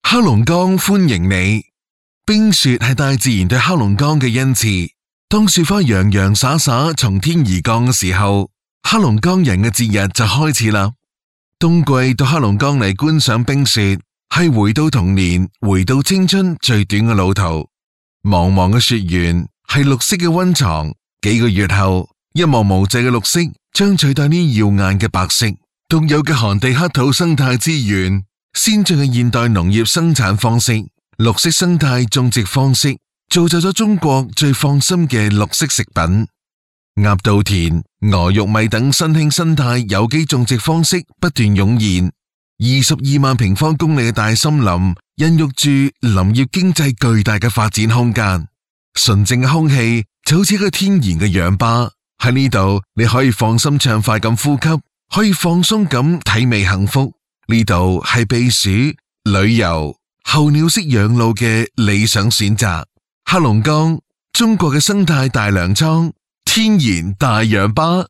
黑龍江歡迎你。冰雪係大自然對黑龍江嘅恩賜。當雪花洋洋灑灑從天而降嘅時候，黑龍江人嘅節日就開始啦。冬季到黑龍江嚟觀賞冰雪，係回到童年、回到青春最短嘅路途。茫茫嘅雪原係綠色嘅溫床，幾個月後，一望無際嘅綠色將取代呢耀眼嘅白色。獨有嘅寒地黑土生態資源，先進嘅現代農業生產方式，綠色生態種植方式，造就咗中國最放心嘅綠色食品。鴨稻田、鵝玉米等新興生態有機種植方式不斷湧現，22萬平方公里嘅大森林孕育住林業經濟巨大嘅發展空間。純淨嘅空氣就好似一個天然嘅氧吧，喺呢度你可以放心暢快咁呼吸，可以放鬆咁體味幸福。呢度係避暑、旅遊、候鳥式養老嘅理想選擇。黑龍江，中國嘅生態大糧倉，天然大氧吧。